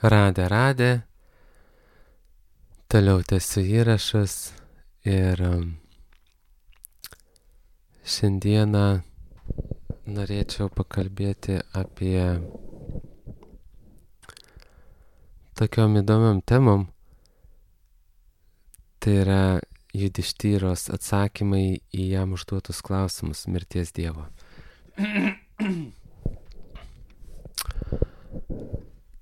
Radė. Toliau tęsiu įrašus ir šiandieną norėčiau pakalbėti apie tokiom įdomiom temom. Tai yra Judištyros atsakymai į jam užduotus klausimus mirties Dievo.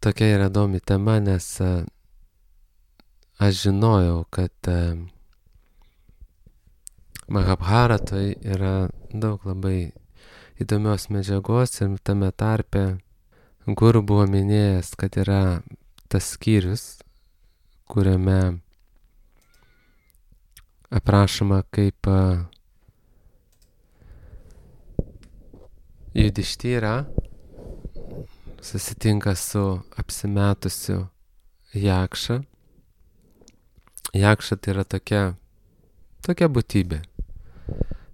Tokia yra įdomi tema, nes aš žinojau, kad Mahabharatoj yra daug labai įdomios medžiagos ir tame tarpe Guru buvo minėjęs, kad yra tas skyrius, kuriame aprašoma, kaip Judištyra susitinka su apsimetusiu Jakša. Jakša tai yra tokia būtybė,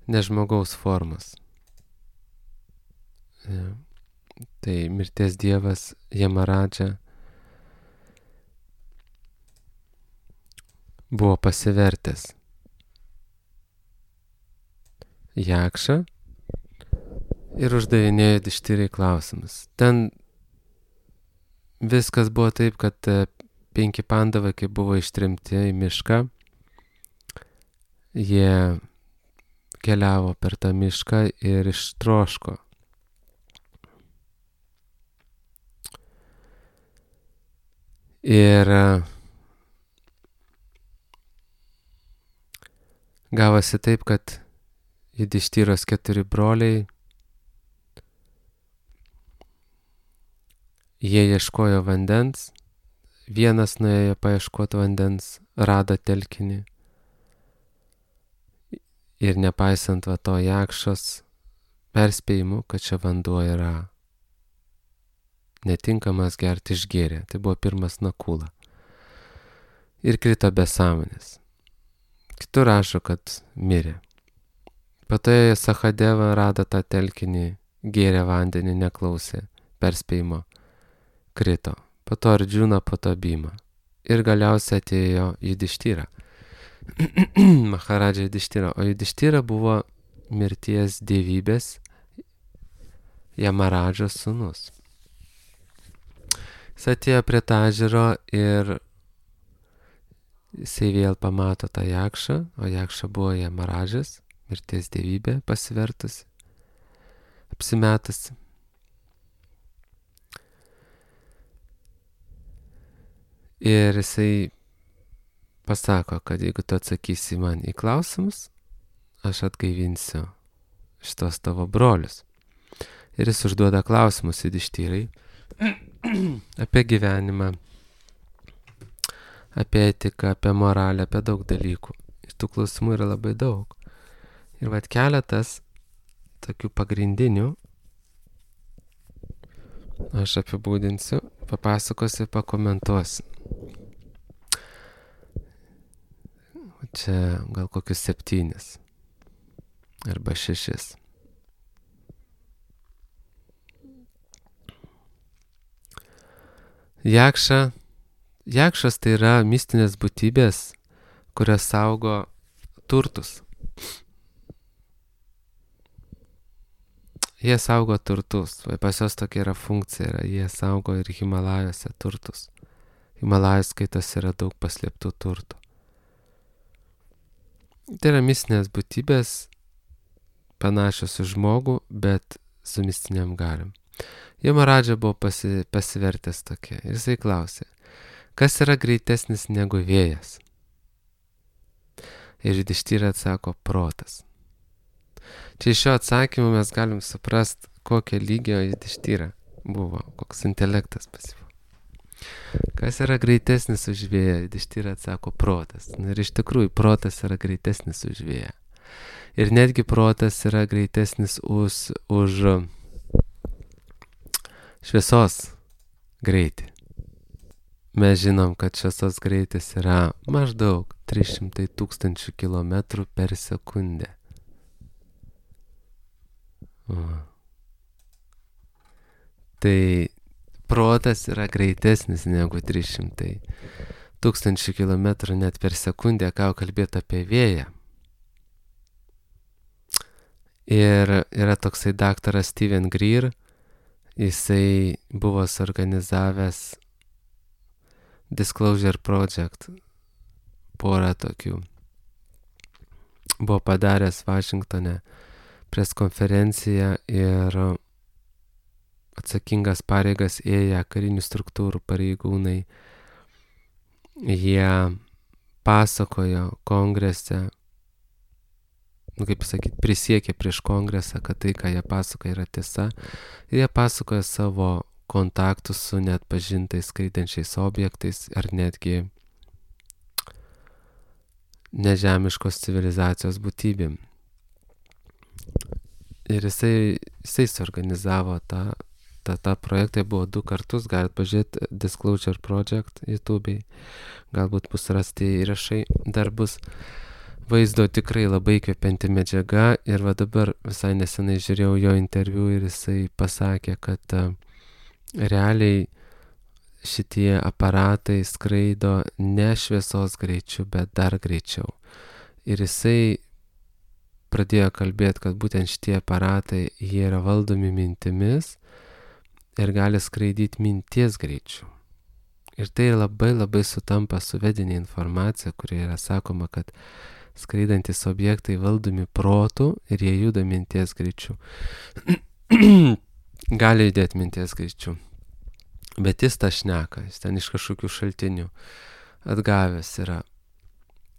ne žmogaus formos. Tai mirties dievas Jamaradža buvo pasivertęs Jakša ir uždavinėjo Judištyrai klausimus. Ten viskas buvo taip, kad 5 pandavai, kai buvo ištremti į mišką, jie keliavo per tą mišką ir ištroško. Ir gavosi taip, kad Judištyros 4 broliai, jie ieškojo vandens, vienas nuėjo paieškoti vandens, rado telkinį ir nepaisant to Jakšos perspėjimų, kad čia vanduo yra netinkamas gerti, išgėrė. Tai buvo pirmas Nakula. Ir krito be sąmonės. Kitur rašo, kad mirė. Po to Sahadeva rado tą telkinį, gėrė vandenį, neklausė perspėjimo, krito. Po to Ardžuna, po to Bhima. Ir galiausiai atėjo Judištyra. Maharadža Judištyra. O Judištyra buvo mirties dievybės Jamaradžos sūnus. Jis atėjo prie tą ežero ir jisai vėl pamato tą Jakšą, o Jakša buvo Jamaradžas, mirties dievybė pasivertusi, apsimetusi. Ir jisai pasako, kad jeigu tu atsakysi man į klausimus, aš atgaivinsiu šitos tavo brolius. Ir jis užduoda klausimus Judištyrai apie gyvenimą, apie etiką, apie moralę, apie daug dalykų. Ir tų klausimų yra labai daug. Ir keletas tokių pagrindinių aš apibūdinsiu, papasakosiu, pakomentuosiu. Čia gal kokius 7 arba 6. Jakšas tai yra mistinės būtybės, kurios saugo turtus. Jie saugo turtus. Pas jos tokia yra funkcija. Jie saugo ir Himalajose turtus. Himalajos skaitos yra daug paslėptų turtų. Tai yra mistinės būtybės, panašios į žmogų, bet su mistiniam galiom. Jamaradža buvo pasivertęs tokia. Ir jisai klausė, kas yra greitesnis negu vėjas? Ir Judištyra atsako, protas. Čia iš šio atsakymų mes galim suprast, kokio lygio Judištyra buvo, koks intelektas pas jį. Kas yra greitesnis už vėją? Judištyra atsako, protas. Ir iš tikrųjų, protas yra greitesnis už vėją. Ir netgi protas yra greitesnis už šviesos greitį. Mes žinom, kad šviesos greitis yra maždaug 300 000 km per sekundę. Tai protas yra greitesnis negu 300 tūkstančių kilometrų net per sekundę, ką kalbėti apie vėją. Ir yra toksai daktaras Steven Greer, jisai buvo suorganizavęs Disclosure Project, porą tokių. Buvo padaręs Vašingtone preskonferenciją ir atsakingas pareigas ėję karinių struktūrų pareigūnai. Jie pasakojo kongrese, prisiekė prieš kongresą, kad tai, ką jie pasakoja, yra tiesa. Ir jie pasakoja savo kontaktus su net pažintais skraidančiais objektais ar netgi nežemiškos civilizacijos būtybėm. Ir jisai suorganizavo tą projektą, buvo 2 kartus, galit pažiūrėti Disclosure Project YouTube'ai, galbūt bus rasti įrašai, dar bus vaizdo tikrai labai įkvepianti medžiaga. Ir va dabar visai nesenai žiūrėjau jo interviu ir jisai pasakė, kad realiai šitie aparatai skraido ne šviesos greičiu, bet dar greičiau. Ir jisai pradėjo kalbėti, kad būtent šitie aparatai, jie yra valdomi mintimis ir gali skraidyti minties greičiu. Ir tai labai labai sutampa su vedinė informacija, kurioje yra sakoma, kad skraidantis objektai valdomi protų ir jie juda minties greičiu. Gali judėti minties greičiu. Bet jis tą šneka, jis ten iš kažkokių šaltinių atgavęs yra.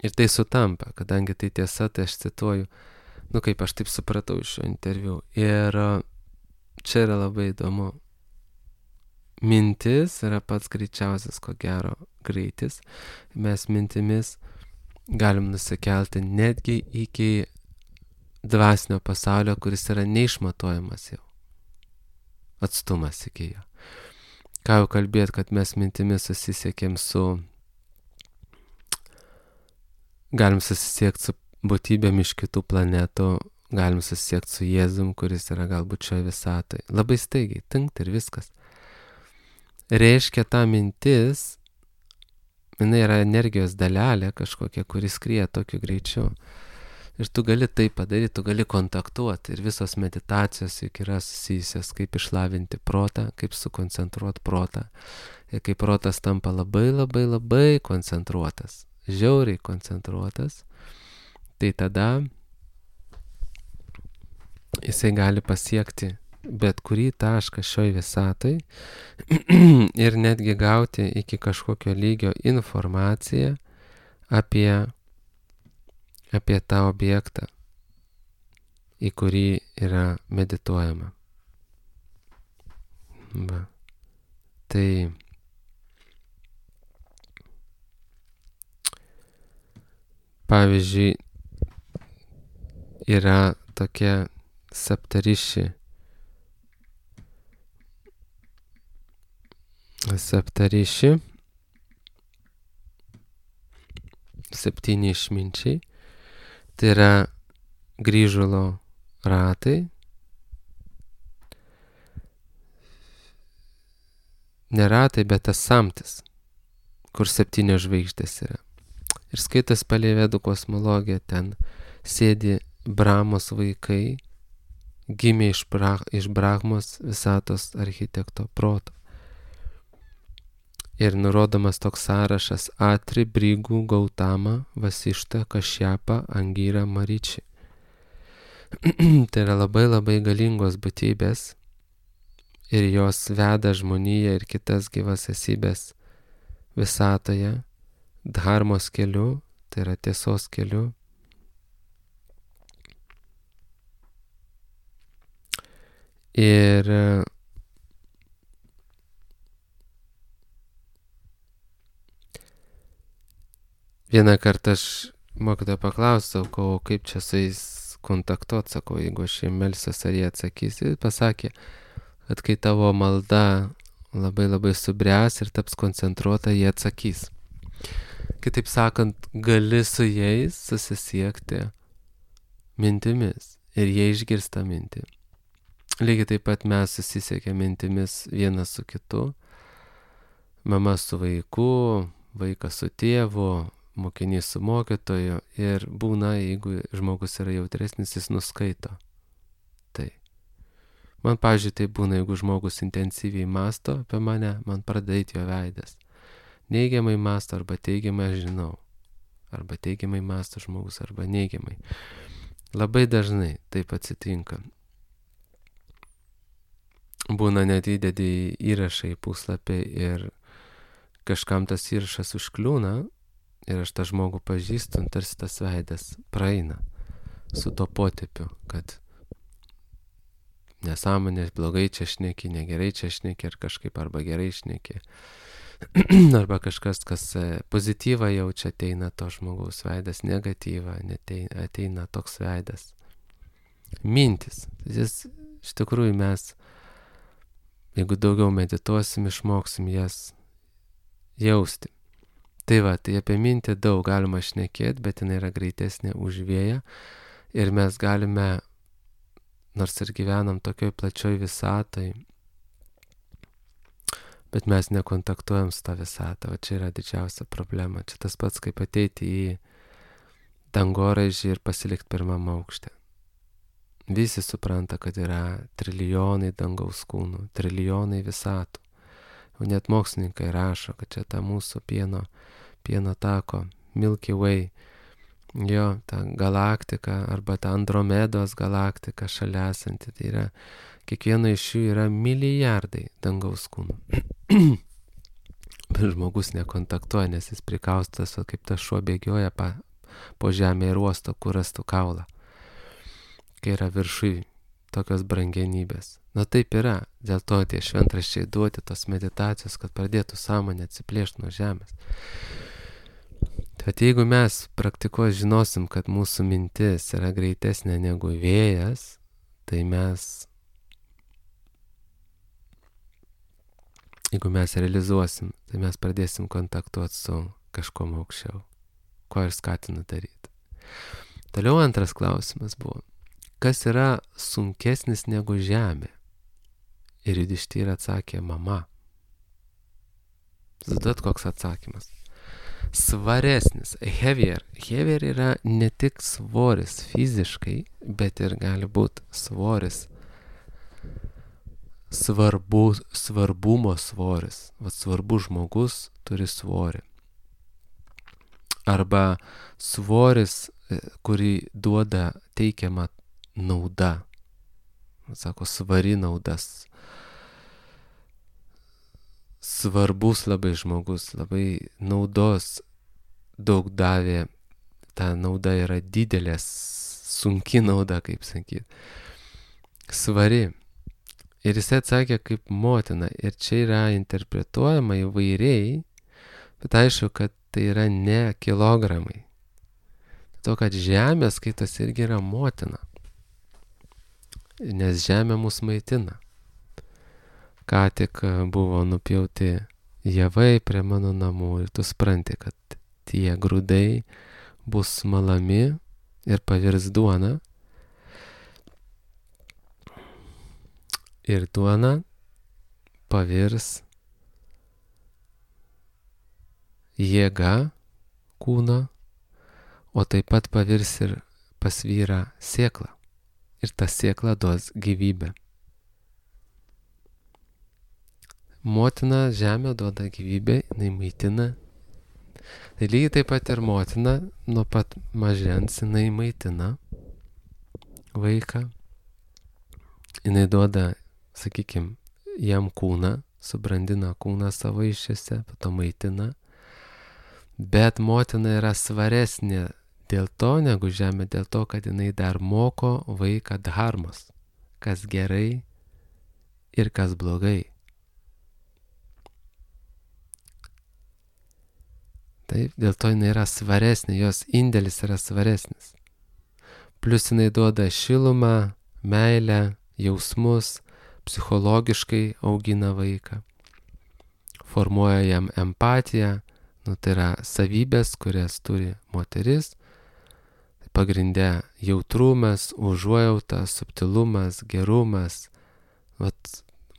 Ir tai sutampa, kadangi tai tiesa, tai aš cituoju, kaip aš taip supratau iš šio interviu. Ir čia yra labai įdomu. Mintis yra pats greičiausias, ko gero, greitis. Mes mintimis galim nusikelti netgi iki dvasinio pasaulio, kuris yra neišmatuojamas jau. Atstumas iki jo. Ką jau kalbėt, kad mes mintimis susisiekėm galim susisiekti su būtybėm iš kitų planetų, galim susisiekti su Jėzum, kuris yra galbūt šioje visatoje. Labai staigiai, tinkt ir viskas. Reiškia, ta mintis, jinai yra energijos dalelė kažkokia, kuris skrieja tokiu greičiu. Ir tu gali tai padaryti, tu gali kontaktuoti. Ir visos meditacijos juk yra susijusios, kaip išlavinti protą, kaip sukoncentruoti protą. Ir kai protas tampa labai labai labai koncentruotas, žiauriai koncentruotas, tai tada jisai gali pasiekti bet kurį tašką šioj visatoj ir netgi gauti iki kažkokio lygio informaciją apie tą objektą, į kurį yra medituojama. Va. Tai pavyzdžiui, yra tokia Saptariši septyni išminčiai. Tai yra grįžulo ratai. Ne ratai, bet tas samtis, kur 7 žvaigždės yra. Ir skaitas palei vedų kosmologiją, ten sėdi Brahmos vaikai, gimė iš Brahmos visatos architekto proto. Ir nurodomas toks sąrašas: Atri, Brigų, Gautama, Vasišta, Kašjapa, Angyra, Mariči. Tai yra labai labai galingos būtybės ir jos veda žmoniją ir kitas gyvas esybės visatoje dharmos keliu, tai yra tiesos keliu. Ir vieną kartą aš mokytoją paklausiau, kaip čia su jais kontaktuoti, sakau, jeigu aš jiem melsiuos, ar jie atsakys. Jis pasakė, kad kai tavo malda labai labai subręs ir taps koncentruota, jie atsakys. Kitaip sakant, gali su jais susisiekti mintimis ir jie išgirsta mintį. Lygiai taip pat mes susisiekėm mintimis vienas su kitu mama su vaiku, vaikas su tėvu, mokinys su mokytoju ir būna, jeigu žmogus yra jautresnis, jis nuskaito. Tai. Man, pavyzdžiui, tai būna, jeigu žmogus intensyviai mąsto apie mane, man pradeda eiti jo veidas. Neigiamai mąsto arba teigiamai aš žinau. Arba teigiamai mąsto žmogus arba neigiamai. Labai dažnai taip atsitinka. Būna net įdedi įrašą į puslapį ir kažkam tas įrašas užkliūna ir aš tą žmogų pažįstu, tarsi tas veidas praeina su to potėpiu, kad nesąmonės, blogai čia šneki, negerai čia šneki ar kažkaip arba gerai šneki. Arba kažkas, kas pozityvą jaučia, ateina to žmogaus veidas, negatyvą, ateina toks veidas. Mintis. Jis, iš tikrųjų mes, jeigu daugiau medituosim, išmoksim jas jausti. Tai va, tai apie mintį daug galima šnekėti, bet jinai yra greitesnė už vėją ir mes galime, nors ir gyvenam tokioj plačioj visatoj, bet mes nekontaktuojam su tą visatą, o čia yra didžiausia problema. Čia tas pats, kaip ateiti į dangoraižį ir pasilikti pirmam aukšte. Visi supranta, kad yra trilijonai dangaus kūnų, trilijonai visatų. O net mokslininkai rašo, kad čia ta mūsų pieno tako, Milky Way, jo, ta galaktika arba ta Andromedos galaktika šalia esanti. Tai yra, kiekvieno iš jų yra milijardai dangaus kūnų. Bet žmogus nekontaktuoja, nes jis prikaustas, kaip tas šuo bėgioja po žemę ir uosto, kur rastų kaulą. Kai yra viršui tokios brangenybės. Na taip yra, dėl to tie šventraščiai duoti tos meditacijos, kad pradėtų sąmonė atsiplėšti nuo žemės. Bet jeigu mes praktikuos žinosim, kad mūsų mintis yra greitesnė negu vėjas, tai jeigu mes realizuosim, tai mes pradėsim kontaktuoti su kažkuom aukščiau, ko ir skatinu daryti. Toliau antras klausimas buvo, kas yra sunkesnis negu žemė? Ir Judištyra atsakė, mama. Zaduot koks atsakymas. Svaresnis, heavier. Heavier yra ne tik svoris fiziškai, bet ir gali būti svoris. Svarbumo svoris. Vat svarbus žmogus turi svorį. Arba svoris, kurį duoda teikiama nauda. Sako, svari naudas. Svarbus labai žmogus, labai naudos daug davė. Ta nauda yra didelė, sunki nauda, kaip sakyti. Svari. Ir jis atsakė kaip motina. Ir čia yra interpretuojama įvairiai, bet aišku, kad tai yra ne kilogramai. To, kad žemė skaitas irgi yra motina. Nes žemė mus maitina. Ką tik buvo nupjauti javai prie mano namų ir tu supranti, kad tie grūdai bus malami ir pavirs duona. Ir duona pavirs jėga kūno, o taip pat pavirs ir pas vyrą sėklą. Ir ta sėkla duos gyvybę. Motina žemė duoda gyvybę, jinai maitina. Tai lygiai taip pat ir motina, nuo pat mažens jinai maitina vaiką. Jinai duoda, sakykime, jam kūną, subrandina kūną savo iššiose, pato maitina. Bet motina yra svaresnė dėl to, negu žemė, dėl to, kad jinai dar moko vaiką dharmos, kas gerai ir kas blogai. Taip, dėl to jinai yra svaresnė, jos indėlis yra svaresnis. Plius jinai duoda šilumą, meilę, jausmus, psichologiškai augina vaiką, formuoja jam empatiją, tai yra savybės, kurias turi moteris, pagrindė jautrumas, užuojauta, subtilumas, gerumas,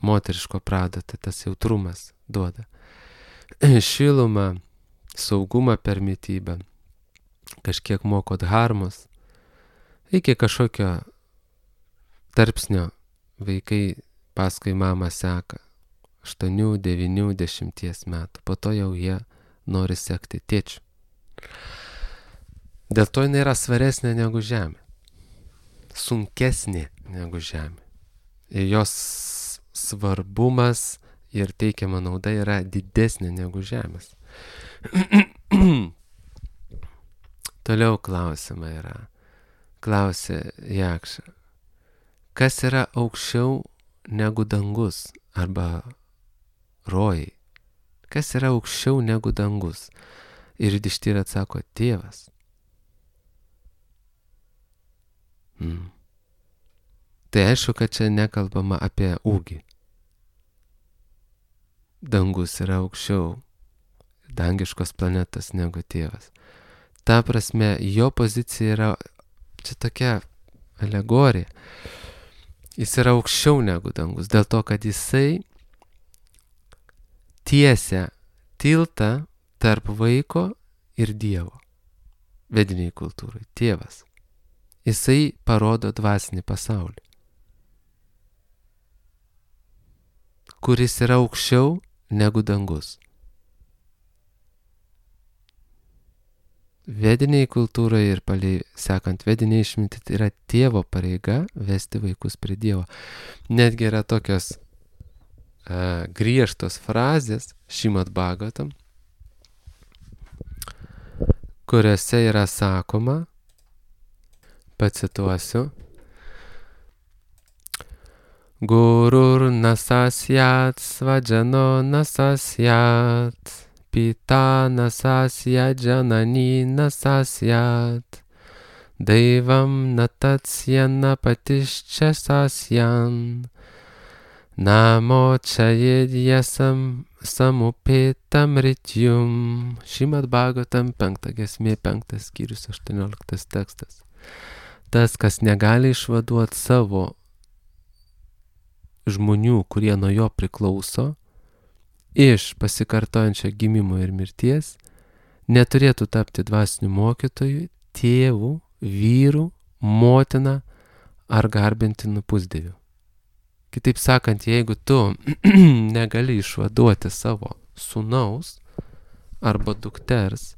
moteriško prado, tai tas jautrumas duoda. šilumą, saugumą per mitybą, kažkiek moko dharmos, iki kažkokio tarpsnio vaikai paskui mamą seka 8, 9, 10 metų, po to jau jie nori sekti tėčių. Dėl to jinai yra svaresnė negu žemė, sunkesnė negu žemė. Ir jos svarbumas ir teikiama nauda yra didesnė negu žemės. Toliau klausimai yra. Klausė Jakša. Kas yra aukščiau negu dangus arba rojai? Kas yra aukščiau negu dangus? Ir Yudhišthira atsako, Tėvas. Tai aišku, kad čia nekalbama apie ūgį. Dangus yra aukščiau dangiškos planetos negu tėvas. Ta prasme, jo pozicija yra čia tokia alegorija. Jis yra aukščiau negu dangus, dėl to, kad jisai tiesia tiltą tarp vaiko ir Dievo. Vediniai kultūrai. Tėvas. Jisai parodo dvasinį pasaulį, kuris yra aukščiau negu dangus. Vediniai kultūroje ir palei sekant vediniai išminti, tai yra tėvo pareiga vesti vaikus prie Dievo. Netgi yra tokios griežtos frazės Šrimad Bhagavatam, kuriuose yra sakoma, pacituosiu, Gurur nasasyat svajano nasasyat, pita nasasyat janani nasasyat, daivam natatsyan patischa sasyan, namo chayedyasam samupetam rityum. Šrimad Bhagavatam 5 giesmė, 5 skyrius, 18 tekstas. Tas, kas negali išvaduoti savo žmonių, kurie nuo jo priklauso, iš pasikartojančio gimimo ir mirties, neturėtų tapti dvasiniu mokytoju, tėvu, vyru, motina ar garbintinu pusdieviu. Kitaip sakant, jeigu tu negali išvaduoti savo sūnaus arba dukters,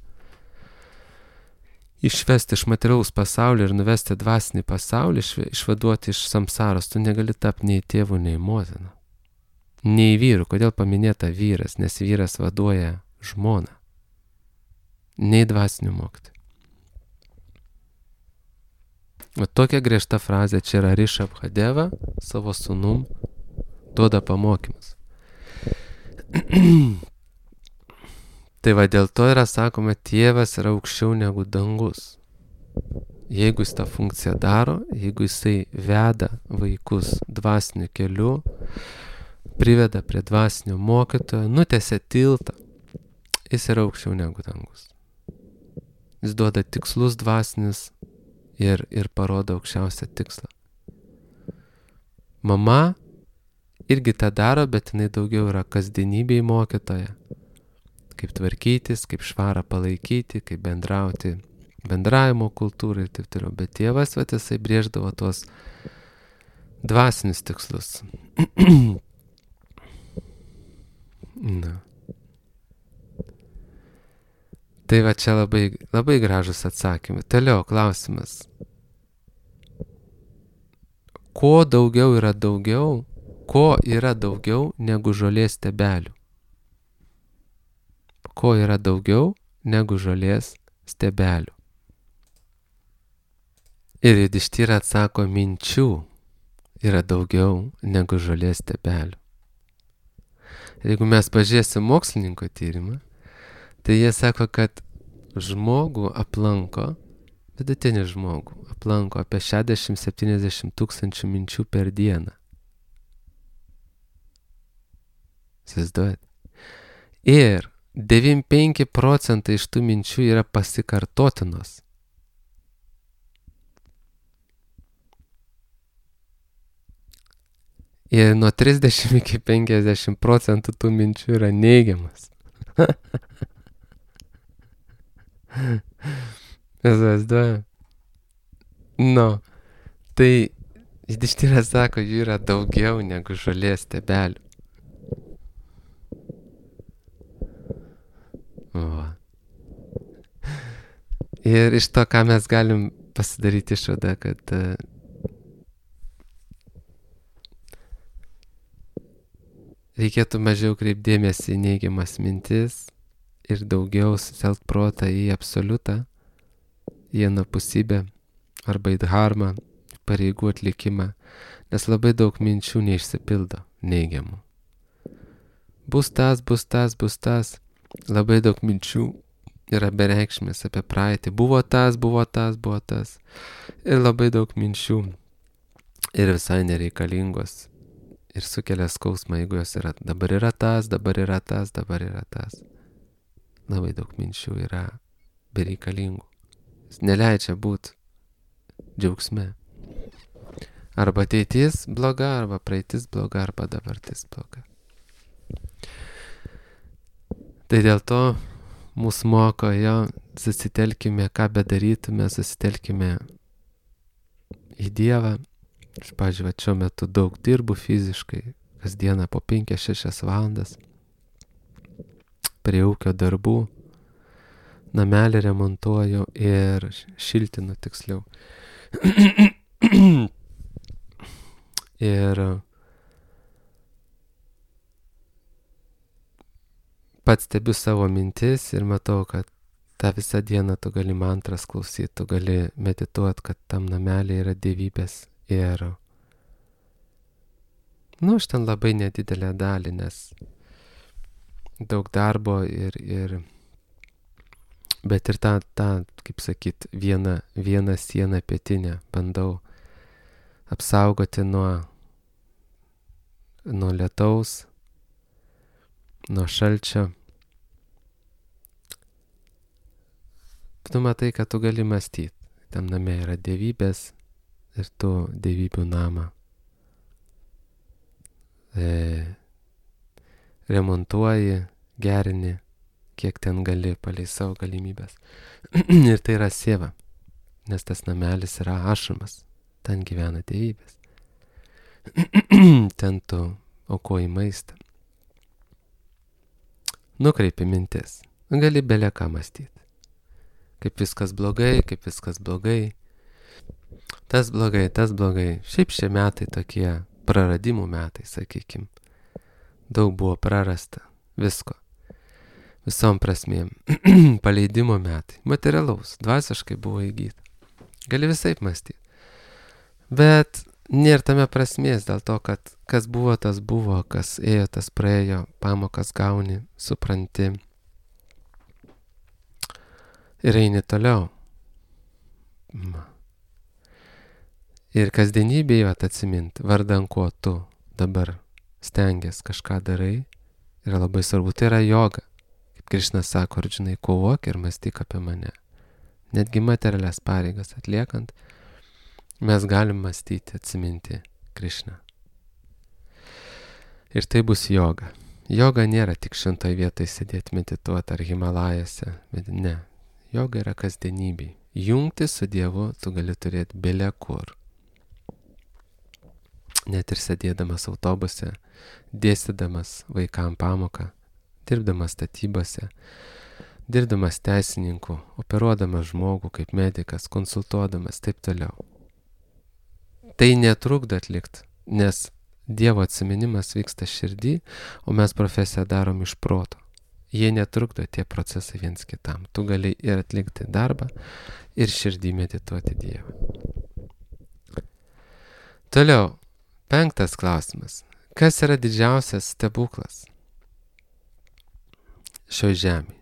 išvesti iš materialaus pasaulio ir nuvesti dvasinį pasaulį, išvaduoti iš samsaros, tu negali tapti nei tėvų, nei motina. Nei vyru. Kodėl paminėta vyras? Nes vyras vaduoja žmoną. Nei dvasinių mokytojų. O tokia griežta frazė čia yra Rishabhadeva savo sūnum duoda pamokymus. Tai va dėl to yra sakoma, tėvas yra aukščiau negu dangus. Jeigu jis tą funkciją daro, jeigu jisai veda vaikus dvasiniu keliu, priveda prie dvasinio mokytojo, nutiesia tiltą, jis yra aukščiau negu dangus. Jis duoda tikslus dvasinis ir parodo aukščiausią tikslą. Mama irgi tą daro, bet jinai daugiau yra kasdienybėj mokytoja. Kaip tvarkytis, kaip švarą palaikyti, kaip bendrauti, bendravimo kultūrą ir taip toliau. Bet tėvas, jisai brėždavo tuos dvasinius tikslus. Na. Tai va čia labai, labai gražus atsakymai. Toliau klausimas. Ko yra daugiau negu žolės stiebelių? Ko yra daugiau negu žolės stiebelių? Ir Yudhišthira atsako, minčių yra daugiau negu žolės stiebelių. Ir jeigu mes pažiūrėsim mokslininko tyrimą, tai jie sako, kad žmogų aplanko, vidutinį žmogų aplanko apie 60-70 tūkstančių minčių per dieną. Įsivaizduojat? Ir 95 procentai iš tų minčių yra pasikartotinos. Ir nuo 30 iki 50 procentų tų minčių yra neigiamas. Įsivaizduoju. Nu, tai Judištyras sako, jų yra daugiau negu žolės stiebelių. Va. Ir iš to, ką mes galim pasidaryti išvadą, kad reikėtų mažiau kreipdėmėsi į neigiamas mintis ir daugiau sutelkt protą į absoliutą, į anapusybę arba į dharmą, pareigų atlikimą, nes labai daug minčių neišsipildo neigiamų. Bus tas, labai daug minčių yra bereikšmės apie praeitį. Buvo tas. Ir labai daug minčių ir visai nereikalingos. Ir sukelia skausmą, jeigu jos yra. Dabar yra tas. Labai daug minčių yra bereikalingų. Jis neleidžia būti džiaugsme. Arba ateitis bloga, arba praeitis bloga, arba dabartis bloga. Tai dėl to mūsų moko susitelkime, ką bedarytume, susitelkime į Dievą. Aš, pavyzdžiui, šiuo metu daug dirbu fiziškai, kasdieną po 5-6 valandas, prie ūkio darbų, namelį remontuoju ir šiltinu tiksliau. Ir pats stebiu savo mintis ir matau, kad tą visą dieną tu gali mantras klausyti, tu gali medituoti, kad tam namelį yra dievybės. Ir aš ten labai nedidelę dalį, nes daug darbo bet ir tą, kaip sakyt, vieną sieną pietinę bandau apsaugoti nuo lietaus, nuo šalčio. Tu matai, kad tu gali mąstyti. Tam name yra dievybės ir tu dievybių namą remontuoji, gerini, kiek ten gali palei savo galimybės. Ir tai yra sieva, nes tas namelis yra ašramas, ten gyvena dievybės. Ten tu aukoji maistą. Nukreipi mintis, gali belė ką mąstyti. Kaip viskas blogai. Tas blogai. Šiaip šie metai tokie praradimų metai, sakykim. Daug buvo prarasta visko. Visom prasmėm. Paleidimo metai. Materialaus, dvasiškai buvo įgyta. Gali visaip mąstyti. Bet nėra tame prasmės dėl to, kad kas buvo, tas buvo, kas ėjo, tas praėjo, pamokas gauni, supranti. Ir eini toliau. Ir kasdienybėje atsimint, vardan ko tu dabar stengies kažką darai, yra labai svarbu. Tai yra joga. Kaip Krišnas sako, Arjunai, kovok ir mąstyk apie mane. Netgi materialias pareigas atliekant, mes galim mąstyti, atsiminti Krišną. Ir tai bus joga. Joga nėra tik šventoje vietoje sėdėti, medituoti ar Himalajose, bet ne. Joga yra kasdienybė. Jungti su Dievu tu gali turėti bele kur. Net ir sėdėdamas autobuse, dėstydamas vaikam pamoką, dirbdamas statybose, dirbdamas teisininku, operuodamas žmogų kaip medikas, konsultuodamas, taip toliau. Tai netrukdo atlikti, nes Dievo atsiminimas vyksta širdį, o mes profesiją darom iš proto. Jie netrukdo tie procesai viens kitam. Tu gali ir atlikti darbą, ir širdį medituoti Dievą. Toliau, 5 klausimas. Kas yra didžiausias stebuklas šio žemėje?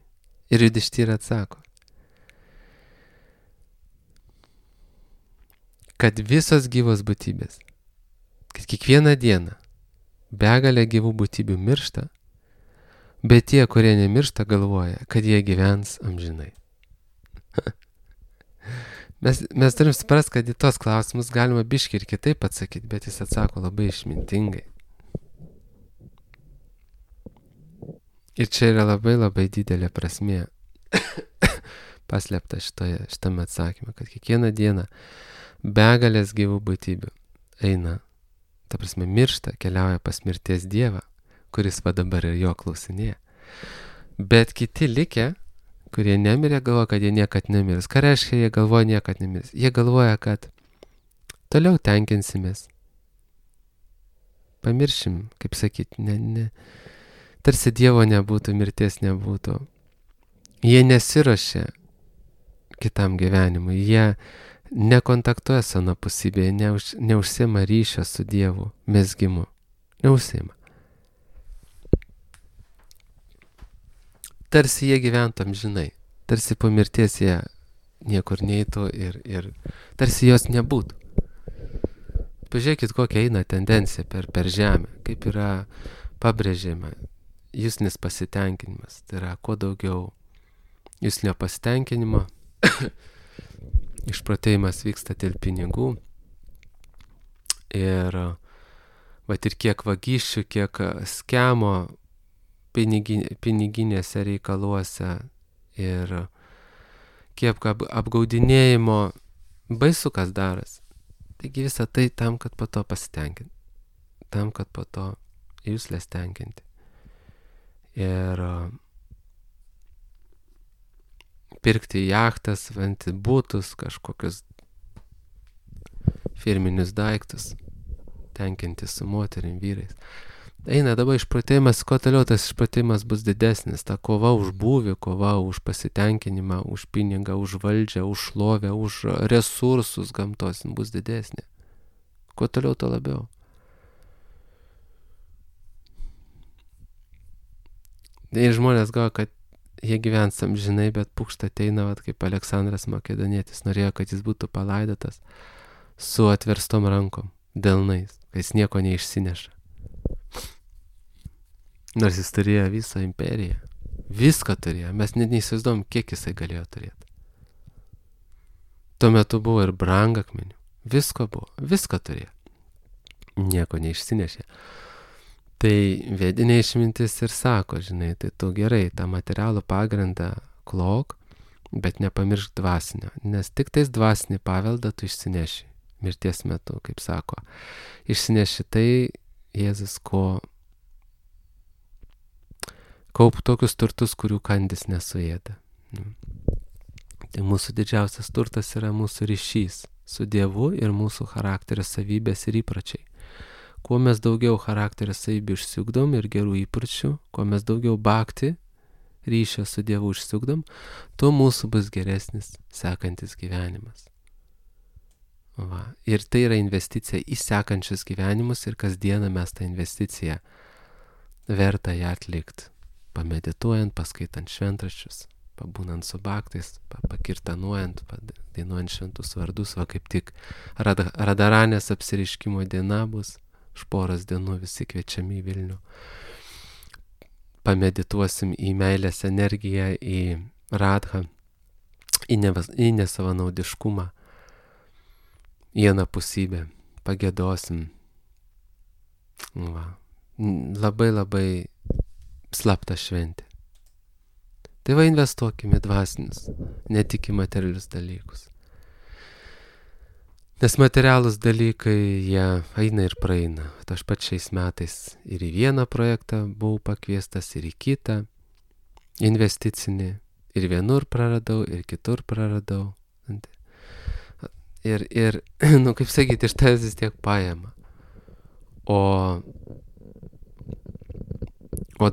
Ir Judištyra atsako, kad visos gyvos būtybės, kad kiekvieną dieną begalė gyvų būtybių miršta, bet tie, kurie nemiršta, galvoja, kad jie gyvens amžinai. Mes turim suprast, kad į tos klausimus galima biškį ir kitaip atsakyti, bet jis atsako labai išmintingai. Ir čia yra labai labai didelė prasmė paslėpta šitame atsakyme, kad kiekvieną dieną begalės gyvų būtybių eina, ta prasme miršta, keliauja pas mirties dievą, kuris va dabar ir jo klausinėja. Bet kiti likę, kurie nemirė, galvoja, kad jie niekad nemirs. Ką reiškia, jie galvoja niekad nemirs? Jie galvoja, kad toliau tenkinsimės. Pamiršim, kaip sakyt, tarsi Dievo nebūtų, mirties nebūtų. Jie nesiruošia kitam gyvenimui, jie nekontaktuoja su anapusybėje, neužsiema ryšio su Dievu, mezgimu. Neužsiema. Tarsi jie gyventų amžinai, tarsi po mirties jie niekur neitų ir tarsi jos nebūtų. Pažiūrėkit, kokia eina tendencija per žemę, kaip yra pabrėžiama juslinis pasitenkinimas. Tai yra, kuo daugiau juslinio pasitenkinimo, išprotėjimas vyksta dėl pinigų. Ir kiek vagysčių, kiek skemo piniginėse reikaluose ir kiek apgaudinėjimo baisu kas daras. Taigi visą tai tam, kad po to pasitenkinti. Tam, kad po to jūslės tenkinti. Ir pirkti jachtas, būtus, kažkokius firminius daiktus, tenkinti su moterim, vyrais. Eina dabar išprotėjimas, kuo toliau tas išprotėjimas bus didesnis. Ta kova už būvį, kova už pasitenkinimą, už pinigą, už valdžią, už šlovę, už resursus gamtos bus didesnė. Kuo toliau, to labiau. Ir žmonės galvoja, kad jie gyvens amžinai, bet pukšta ateina, kaip Aleksandras Makedonietis norėjo, kad jis būtų palaidotas su atverstom rankom, delnais, kad jis nieko neišsineša. Nors jis turėjo visą imperiją. Viską turėjo. Mes net neįsivaizduom, kiek jisai galėjo turėti. Tuo metu buvo ir brangakmenių. Visko buvo. Viską turėjo. Nieko neišsinešė. Tai vedinė išmintis ir sako, žinai, tai tu gerai, tą materialų pagrindą klok, bet nepamiršk dvasinio. Nes tik tais dvasinį paveldą tu išsineši. Mirties metu, kaip sako. Išsineši tai, Jėzus, kaup tokius turtus, kurių kandis nesuėda. Tai mūsų didžiausias turtas yra mūsų ryšys su Dievu ir mūsų charakterio savybės ir įpročiai. Kuo mes daugiau charakterio savybių išsiugdom ir gerų įpročių, kuo mes daugiau bhakti ryšio su Dievu išsiugdom, tuo mūsų bus geresnis sekantis gyvenimas. Va. Ir tai yra investicija į sekančius gyvenimus ir kasdieną mes tą investiciją verta ją atlikti. Pamedituojant, paskaitant šventraščius, pabūnant su bhaktais, pakirtanuojant, dainuojant šventus vardus, va kaip tik Radaranės apsireiškimo diena bus, už poros dienų visi kviečiami į Vilnių. Pamedituosim į meilės energiją, į radhą, į nesavanaudiškumą, į anapusybę, pagiedosim. Va. Labai labai slapta šventė. Tai va investuokime dvasinius, ne tik į materialius dalykus. Nes materialus dalykai, jie eina ir praeina. Aš pat šiais metais ir į vieną projektą buvau pakviestas, ir į kitą investicinį. Ir vienur praradau, ir kitur praradau. Ir kaip sakyti, iš tavęs vis tiek paima. O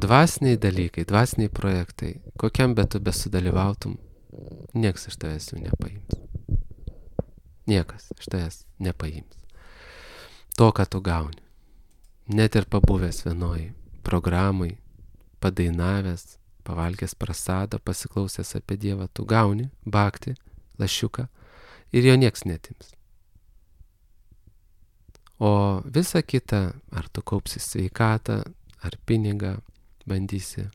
dvasiniai dalykai, dvasiniai projektai, kokiam betu besudalyvautum, niekas iš tavęs jų nepaims. Niekas iš tavęs nepaims. To, ką tu gauni. Net ir pabuvęs vienoj programai, padainavęs, pavalgęs prasado, pasiklausęs apie Dievą, tu gauni bhakti, lašiuką ir jo nieks netims. O visa kita, ar tu kaupsi sveikatą, ar pinigą bandysi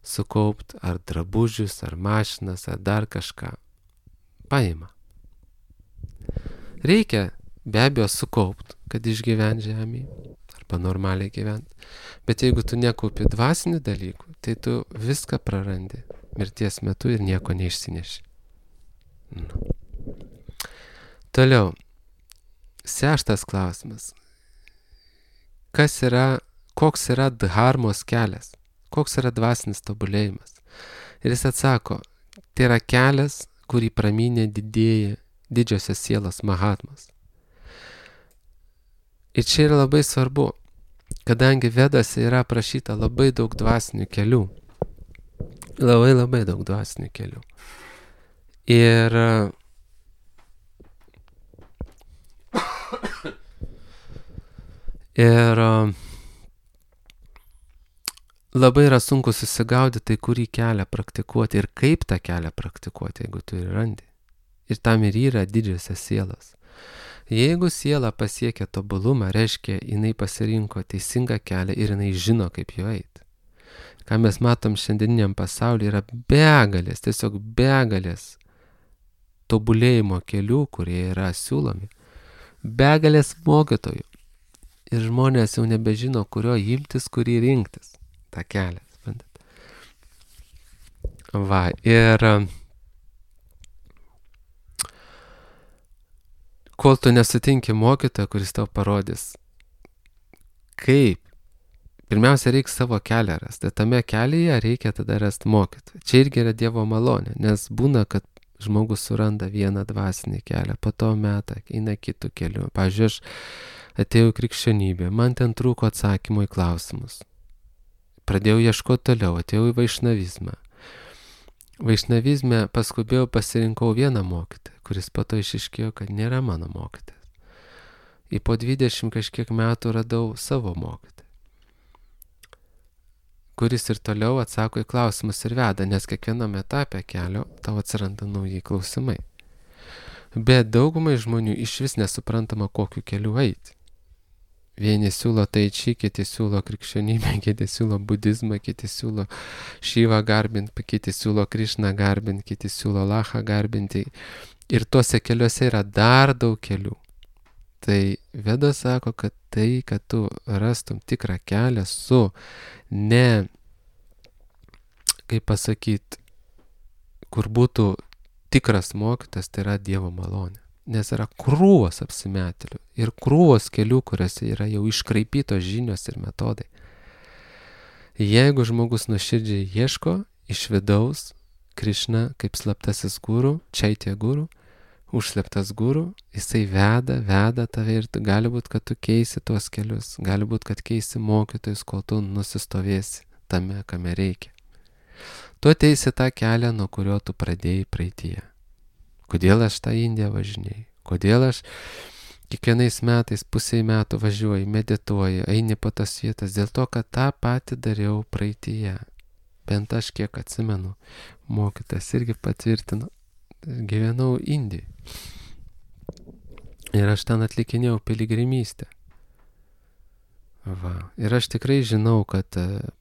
sukaupti, ar drabužius, ar mašinas, ar dar kažką, paima. Reikia be abejo sukaupti, kad išgyvent žemėje, ar arba normaliai gyventi. Bet jeigu tu nekaupi dvasinių dalykų, tai tu viską prarandi mirties metu ir nieko neišsineši. Toliau. 6 klausimas. Koks yra dharmos kelias? Koks yra dvasinis tobulėjimas? Ir jis atsako, tai yra kelias, kurį pramynė didžiosios sielos mahatmas. Ir čia yra labai svarbu, kadangi Vedose yra aprašyta labai daug dvasinių kelių. Labai daug dvasinių kelių. Ir labai yra sunku susigaudyti, kurį kelią praktikuoti ir kaip tą kelią praktikuoti, jeigu tu ir randi. Ir tam ir yra didžiosios sielos. Jeigu siela pasiekia tobulumą, reiškia, jinai pasirinko teisingą kelią ir jinai žino, kaip jo eiti. Ką mes matom šiandieniniam pasaulyje, yra begalės, tiesiog begalės tobulėjimo kelių, kurie yra siūlomi. Begalės mokytojų. Ir žmonės jau nebežino, kurio imtis, kurį rinktis. tą kelią, suprantat. Va, ir kol tu nesutinki mokytojo, kuris tau parodys, kaip, pirmiausia, reikia savo kelią rasti. Tame kelyje reikia tada rasti mokytoją. Čia irgi yra Dievo malonė, nes būna, kad žmogus suranda vieną dvasinį kelią, po to metą eina kitų kelių. Pavyzdžiui, aš atėjau į krikščionybę, man ten trūko atsakymų į klausimus. Pradėjau ieškoti toliau, atėjau į vaišnavizmą. Vaišnavizme paskubėjau pasirinkau vieną mokytoją, kuris po to išiškėjo, kad nėra mano mokytojas. Ir po 20 kažkiek metų radau savo mokytoją, kuris ir toliau atsako į klausimus ir veda, nes kiekviename etape kelio tau atsiranda nauji klausimai. Bet daugumai žmonių iš vis nesuprantama, kokiu keliu eiti. Vieni siūlo taiči, kiti siūlo krikščionybę, kiti siūlo budizmą, kiti siūlo Šyvą garbinti, kiti siūlo Krišną garbinti, kiti siūlo Lachą garbinti. Ir tuose keliuose yra dar daug kelių. Tai Vedos sako, kad tai, kad tu rastum tikrą kelią su ne, kaip pasakyti, kur būtų tikras mokytas, tai yra Dievo malonė. Nes yra krūvos apsimetėlių ir krūvos kelių, kuriuose yra jau iškraipytos žinios ir metodai. Jeigu žmogus nuoširdžiai ieško iš vidaus Krišna kaip slaptasis guru, čaitė guru, užslėptas guru, jisai veda tave ir gali būt, kad tu keisi tuos kelius, gali būt, kad keisi mokytojus, kol tu nusistovėsi tame, kame reikia. Tu ateisi tą kelią, nuo kurio tu pradėjai praeityje. Kodėl aš tą Indiją važinėjau? Kodėl aš kiekvienais metais, pusei metų važiuoju, medituoju, eini po tas vietas? Dėl to, kad tą patį dariau praeityje. Bent aš kiek atsimenu, mokytas irgi patvirtino, gyvenau Indijoje. Ir aš ten atlikinėjau piligrimystę. Va. Ir aš tikrai žinau, kad,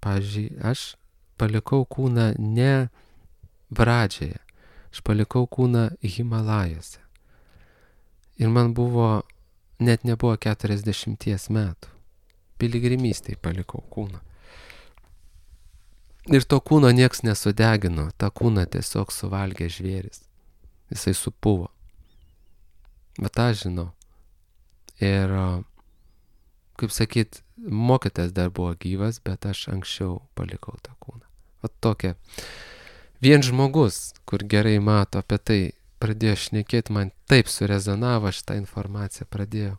pavyzdžiui, aš palikau kūną ne Bradžėje. Aš palikau kūną Himalajose. Ir man buvo, net nebuvo 40 metų. Piligrimystėj palikau kūną. Ir to kūno nieks nesudegino, tą kūną tiesiog suvalgė žvėris. Jisai supuvo. Bet aš žinau. Ir, kaip sakyt, mokytas dar buvo gyvas, bet aš anksčiau palikau tą kūną. O tokia. Vien žmogus, kur gerai mato apie tai, pradėjo šnekėti, man taip surezonavo šitą informaciją, pradėjau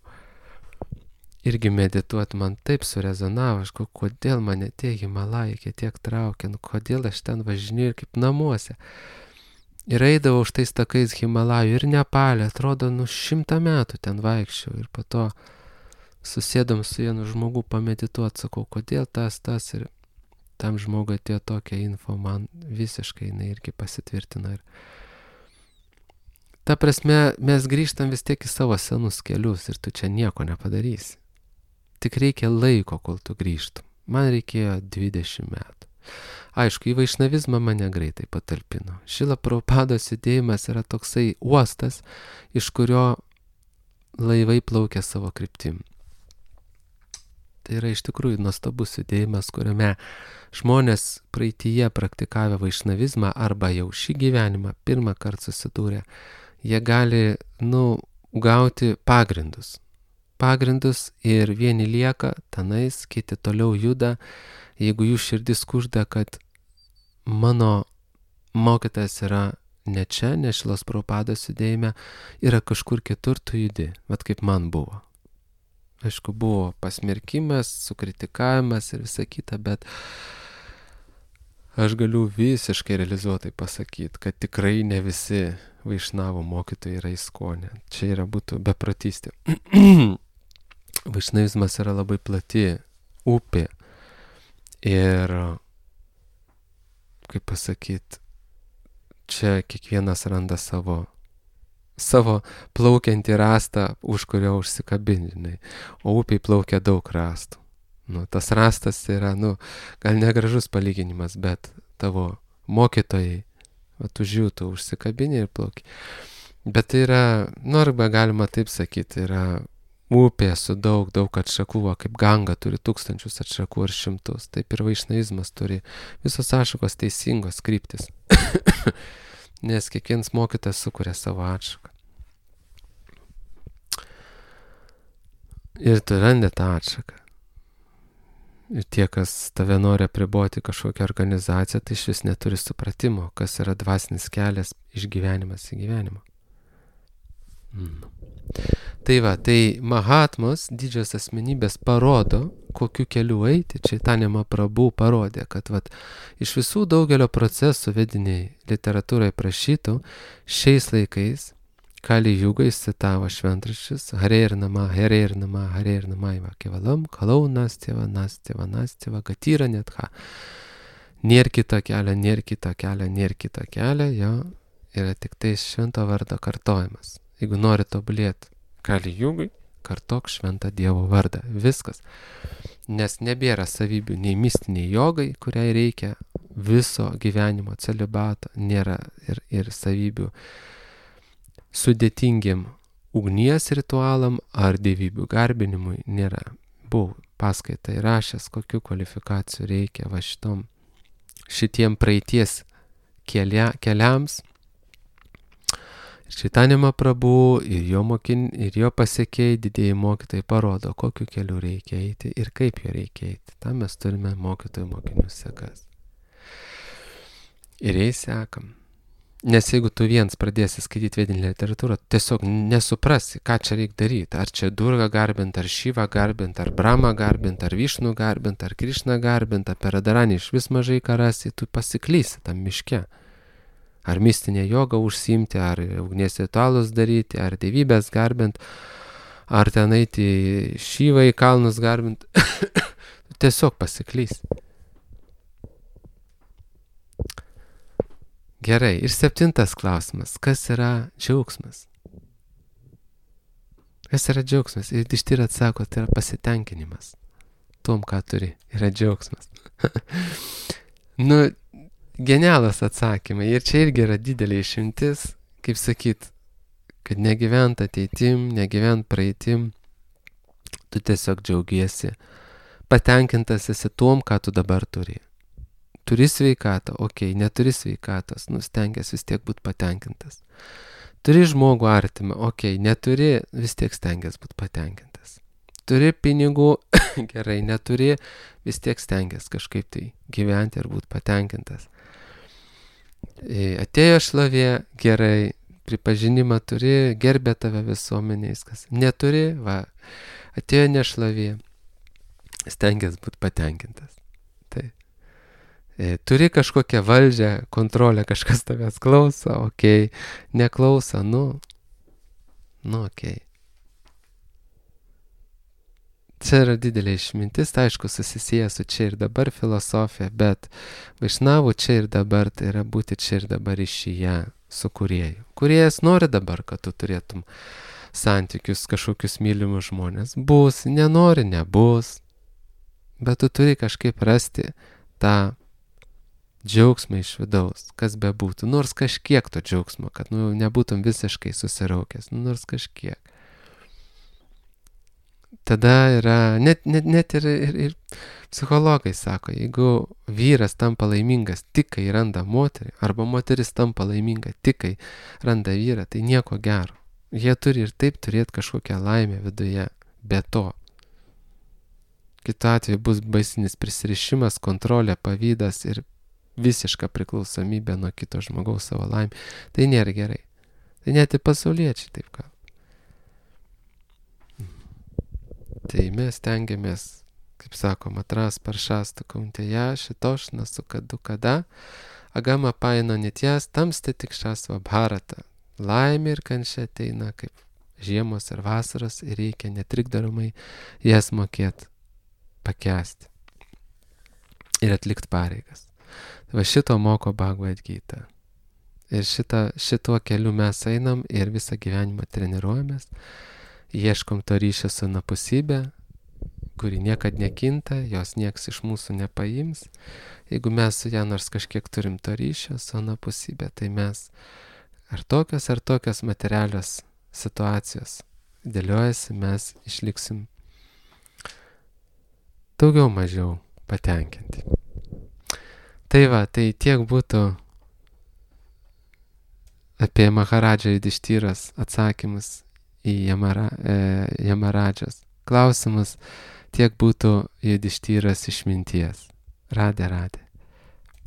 irgi medituoti, man taip surezonavo, aš kodėl mane tie Himalajai tiek traukia, kodėl aš ten važinėjau ir kaip namuose. Ir eidavau už tais takais Himalajų ir Nepalė, atrodo, 100 metų ten vaikščiau ir po to susėdom su vienu žmogu pamedituoti, sakau, kodėl tas ir tam žmogui atėjo tokia info, man visiškai jinai irgi pasitvirtina. Ir ta prasme, mes grįžtam vis tiek į savo senus kelius ir tu čia nieko nepadarysi. Tik reikia laiko, kol tu grįžtum. Man reikėjo 20 metų. Aišku, į vaišnavizmą mane greitai patalpino. Šrila Prabhupados judėjimas yra toksai uostas, iš kurio laivai plaukia savo kryptim. Tai yra iš tikrųjų nuostabus judėjimas, kuriame žmonės praeityje praktikavę vaišnavizmą arba jau šį gyvenimą pirmą kartą susidūrė, jie gali, gauti pagrindus ir vieni lieka tenais, kiti toliau juda, jeigu jų širdis kužda, kad mano mokytojas yra ne čia, ne Šilos Prabhupados judėjime, yra kažkur kitur, tu judi, bet kaip man buvo. Aišku, buvo pasmerkimas, sukritikavimas ir visa kita, bet aš galiu visiškai realizuotai pasakyti, kad tikrai ne visi vaišnavų mokytojai yra įskonė. Čia yra būtų beprotystė. Vaišnavizmas yra labai plati upė ir, kaip pasakyti, čia kiekvienas randa savo plaukiantį rastą, už kurio užsikabinti, o upiai plaukia daug rastų. Tas rastas yra, gal negražus palyginimas, bet tavo mokytojai, už jų tu užsikabini ir plauki. Bet tai yra, arba galima taip sakyti, yra upė su daug atšakų, kaip Ganga turi 1000 atšakų ar 100, taip ir vaišnavizmas turi visos atšakos teisingos kryptis. Nes kiekvienas mokytas sukuria savo atšaką. Ir tu randi tą atšaką. Ir tie, kas tave nori apriboti kažkokią organizaciją, tai šis neturi supratimo, kas yra dvasinis kelias iš gyvenimas į gyvenimą. Tai Mahatmos, didžios asmenybės, parodo, kokiu keliu eiti. Čaitanija Mahaprabhu parodė, kad iš visų daugelio procesų vediniai literatūrai prašytų, šiais laikais Kali Jugai citavo šventraščius Hare Nama, Iva Kevalam, Kalau Nastyva, Gatira Netha. Nėr kito kelio, jo yra tik tai švento vardo kartojimas. Jeigu nori tobulėti Kali Jugai, kartok šventą Dievo vardą. Viskas. Nes nebėra savybių nei mistiniai jogai, kuriai reikia viso gyvenimo celibato, nėra ir savybių sudėtingiam ugnies ritualam ar dievybių garbinimui nėra. Buvau paskaitą įrašęs, kokių kvalifikacijų reikia šitiem praeities keliams. Čaitanija Mahaprabhu ir jo pasekėjai, didieji mokytojai parodo, kokiu keliu reikia eiti ir kaip jo reikia eiti. Tam mes turime mokinių sekas. Ir jais sekam. Nes jeigu tu viens pradėsi skaityti vedinę literatūrą, tiesiog nesuprasi, ką čia reikia daryti. Ar čia Durgą garbinti, ar Šivą garbinti, ar Bramą garbinti, ar Višnų garbinti, ar Krišną garbinti, apie Radaranį iš vis mažai ką rasi, tu pasiklysi tam miške. Ar mistinė joga užsiimti, ar ugnies ritualus daryti, ar dievybės garbinti, ar ten eiti Šivą į kalnus garbinti. Tiesiog pasiklysi. Gerai, ir 7 klausimas. Kas yra džiaugsmas? Kas yra džiaugsmas? Ir iš tyra atsako, tai yra pasitenkinimas. Tom, ką turi, yra džiaugsmas. Genialas atsakymai. Ir čia irgi yra didelė išimtis, kaip sakyt, kad negyvent ateitim, negyvent praeitim, tu tiesiog džiaugiesi. Patenkintas esi tom, ką tu dabar turi. Turi sveikatą, neturi sveikatos, stengiasi vis tiek būti patenkintas. Turi žmogų artimą, neturi, vis tiek stengiasi būti patenkintas. Turi pinigų, gerai, neturi, vis tiek stengiasi kažkaip tai gyventi ir būti patenkintas. Atėjo šlovė, gerai, pripažinimą turi, gerbė tave visuomeniais, kas neturi, atėjo nešlovė, stengiasi būti patenkintas. Turi kažkokią valdžią, kontrolę, kažkas tavęs klauso, neklauso, Čia yra didelė išmintis, tai aišku, susisieja su čia ir dabar filosofija, bet vaišnavų čia ir dabar, tai yra būti čia ir dabar ryšyje su kūrėju. Kūrėjas nori dabar, kad tu turėtum santykius, kažkokius mylimus žmonės. Bus, nenori, nebus, bet tu turi kažkaip rasti tą džiaugsmą iš vidaus, kas bebūtų, nors kažkiek to džiaugsmo, kad nebūtum visiškai susiraukęs, nors kažkiek. tada yra, net ir psichologai sako, jeigu vyras tampa laimingas tik kai randa moterį, arba moteris tampa laiminga tik kai randa vyrą, tai nieko gero. Jie turi ir taip turėti kažkokią laimę viduje, be to. Kitu atveju bus baisinis prisirišimas, kontrolė, pavydas ir visiška priklausomybė nuo kito žmogaus savo laimė. Tai nėra gerai. Tai net ir pasauliečiai taip kalba. Tai mes tengiamės, kaip sakom, atras paršastų kauntėje, šitošna sukadu kada, agama paino nitjas, tamste tik šasva bharata. Laimė ir kančia ateina kaip žiemos ir vasaros ir reikia netrikdaromai jas mokėti pakęsti ir atlikti pareigas. Va šito moko Bhagavad Gita. Ir šituo keliu mes einam ir visą gyvenimą treniruojamės, ieškom to ryšio su anapusybė, kuri niekad nekinta, jos nieks iš mūsų nepaims. Jeigu mes su ją nors kažkiek turim to ryšio su anapusybė, tai mes ar tokios materialios situacijos dėliojasi, mes išliksim daugiau mažiau patenkinti. Tai va, tai tiek būtų apie Maharadžą Judištyros atsakymus į Jamaradžos klausimus, tiek būtų Judištyros išminties. Radė.